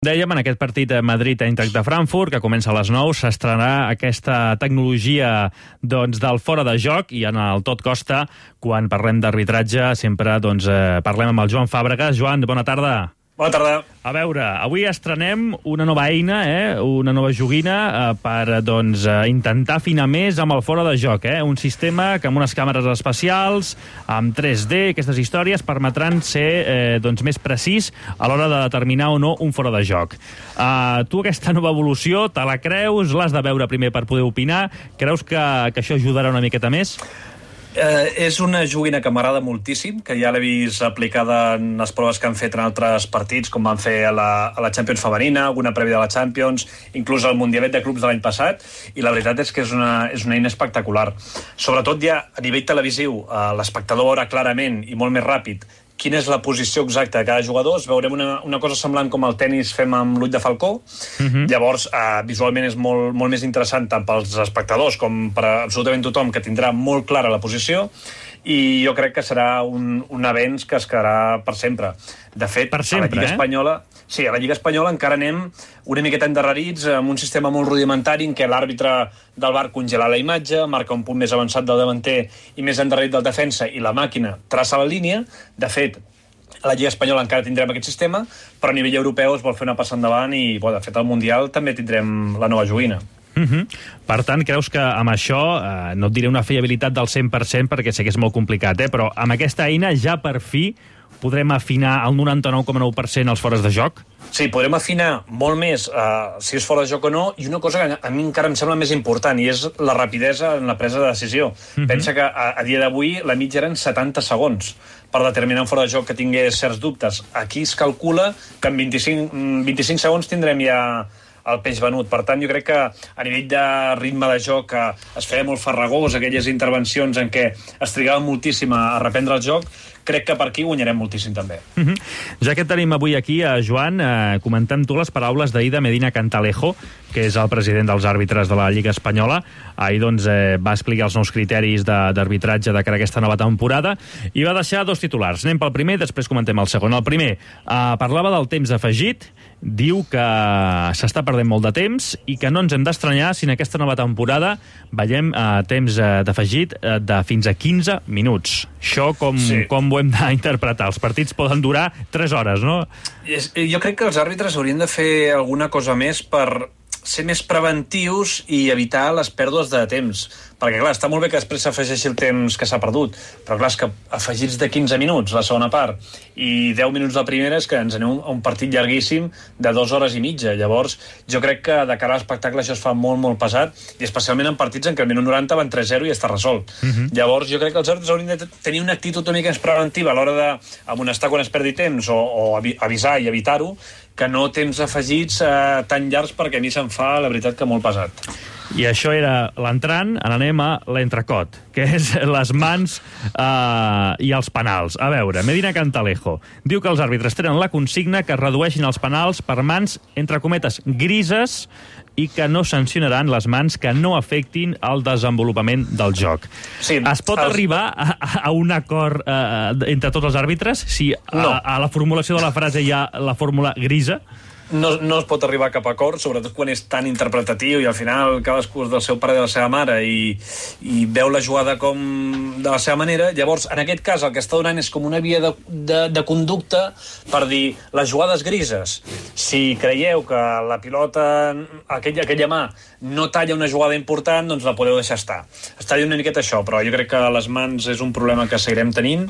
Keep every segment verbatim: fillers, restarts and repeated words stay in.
Dèiem, en aquest partit Madrid-Eintracht de Frankfurt, que comença a les nou, s'estrenarà aquesta tecnologia doncs, del fora de joc, i en el Tot Costa, quan parlem d'arbitratge, sempre doncs, eh, parlem amb el Joan Fàbregas. Joan, bona tarda. Bona tarda. A veure, avui estrenem una nova eina, eh? una nova joguina eh, per doncs, eh, intentar afinar més amb el fora de joc. Eh? Un sistema que amb unes càmeres especials, amb tres D, aquestes històries, permetran ser eh, doncs, més precís a l'hora de determinar o no un fora de joc. Uh, tu aquesta nova evolució, te la creus? L'has de veure primer per poder opinar? Creus que, que això ajudarà una miqueta més? Eh, és una joguina que m'agrada moltíssim, que ja l'he vist aplicada en les proves que han fet en altres partits, com van fer a la, a la Champions femenina, alguna prèvia de la Champions, inclús al Mundialet de Clubs de l'any passat, i la veritat és que és una, és una eina espectacular. Sobretot ja a nivell televisiu, eh, l'espectador veurà clarament i molt més ràpid quina és la posició exacta de cada jugador. Veurem una, una cosa semblant com el tennis fem amb l'ull de falcó. Uh-huh. Llavors, eh, visualment és molt, molt més interessant tant pels espectadors com per a absolutament tothom, que tindrà molt clara la posició, i jo crec que serà un, un avenç que es quedarà per sempre. De fet, per sempre, a la Lliga eh? Espanyola... Sí, a la Lliga Espanyola encara anem una miqueta endarrerits, amb un sistema molt rudimentari en què l'àrbitre del V A R congela la imatge, marca un punt més avançat del davanter i més endarrerit del defensa, i la màquina traça la línia. De fet, a la Lliga Espanyola encara tindrem aquest sistema, però a nivell europeu es vol fer una passa endavant i, bo, de fet, al Mundial també tindrem la nova joguina. Uh-huh. Per tant, creus que amb això, eh, no et diré una fiabilitat del cent per cent perquè sé que és molt complicat, eh, però amb aquesta eina ja per fi podrem afinar al noranta-nou coma nou per cent els fores de joc? Sí, podrem afinar molt més uh, si és fora de joc o no, i una cosa que a mi encara em sembla més important, i és la rapidesa en la presa de decisió. Uh-huh. Pensa que a, a dia d'avui la mitja eren setanta segons per determinar un fora de joc que tingués certs dubtes. Aquí es calcula que en vint-i-cinc, vint-i-cinc segons tindrem ja el peix venut. Per tant, jo crec que a nivell de ritme de joc es feia molt farragós, aquelles intervencions en què es trigava moltíssim a reprendre el joc. Crec que per aquí guanyarem moltíssim també. Uh-huh. Ja que tenim avui aquí a Joan, eh, comentant tu les paraules d'ahir de Medina Cantalejo, que és el president dels àrbitres de la Lliga Espanyola. Ahir doncs, eh, va explicar els nous criteris d'arbitratge de, de cara a aquesta nova temporada i va deixar dos titulars. Anem pel primer, després comentem el segon. El primer, eh, parlava del temps afegit, diu que s'està perdent molt de temps i que no ens hem d'estranyar si en aquesta nova temporada veiem eh, temps eh, d'afegit eh, de fins a quinze minuts. Això com, sí. com ho hem d'interpretar? Els partits poden durar tres hores, no? Jo crec que els àrbitres haurien de fer alguna cosa més per ser més preventius i evitar les pèrdues de temps. Perquè, clar, està molt bé que després s'afegeixi el temps que s'ha perdut, però, clar, és que afegits de quinze minuts la segona part i deu minuts la primera és que ens anem a un partit llarguíssim de dues hores i mitja. Llavors, jo crec que de cara a l'espectacle això es fa molt, molt pesat, i especialment en partits en què al minut noranta van tres zero i està resolt. Uh-huh. Llavors, jo crec que els àrbitres haurien de tenir una actitud una mica més preventiva a l'hora d'amonestar quan es perdi temps o, o avisar i evitar-ho, que no temps afegits eh, tan llargs, perquè a mi se'n fa, la veritat, que molt pesat. I això era l'entrant, ara anem a l'entrecot, que és les mans eh, i els penals. A veure, Medina Cantalejo diu que els àrbitres tenen la consigna que es redueixin els penals per mans, entre cometes, grises, i que no sancionaran les mans que no afectin el desenvolupament del joc. Sí, es pot els... arribar a, a un acord eh, entre tots els àrbitres si no. a, a la formulació de la frase hi ha la fórmula grisa? No, no es pot arribar a cap acord, sobretot quan és tan interpretatiu i al final cadascú és del seu pare i de la seva mare i, i veu la jugada com de la seva manera. Llavors, en aquest cas, el que està donant és com una via de, de, de conducta per dir les jugades grises. Si creieu que la pilota, aquella, aquella mà, no talla una jugada important, doncs la podeu deixar estar. Està dient una miqueta això, però jo crec que les mans és un problema que seguirem tenint,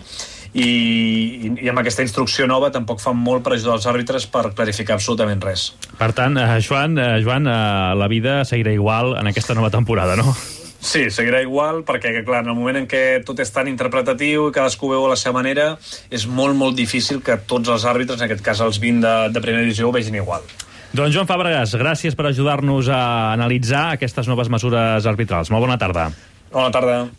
i, i, i amb aquesta instrucció nova tampoc fan molt per ajudar els àrbitres per clarificar absolutament res. Per tant, eh, Joan, eh, Joan eh, la vida seguirà igual en aquesta nova temporada, no? Sí, seguirà igual, perquè, clar, en el moment en què tot és tan interpretatiu i cadascú veu a la seva manera, és molt, molt difícil que tots els àrbitres, en aquest cas els vint de, de primera divisió, ho vegin igual. Doncs Joan Fàbregas, gràcies per ajudar-nos a analitzar aquestes noves mesures arbitrals. Molt bona tarda. Bona tarda.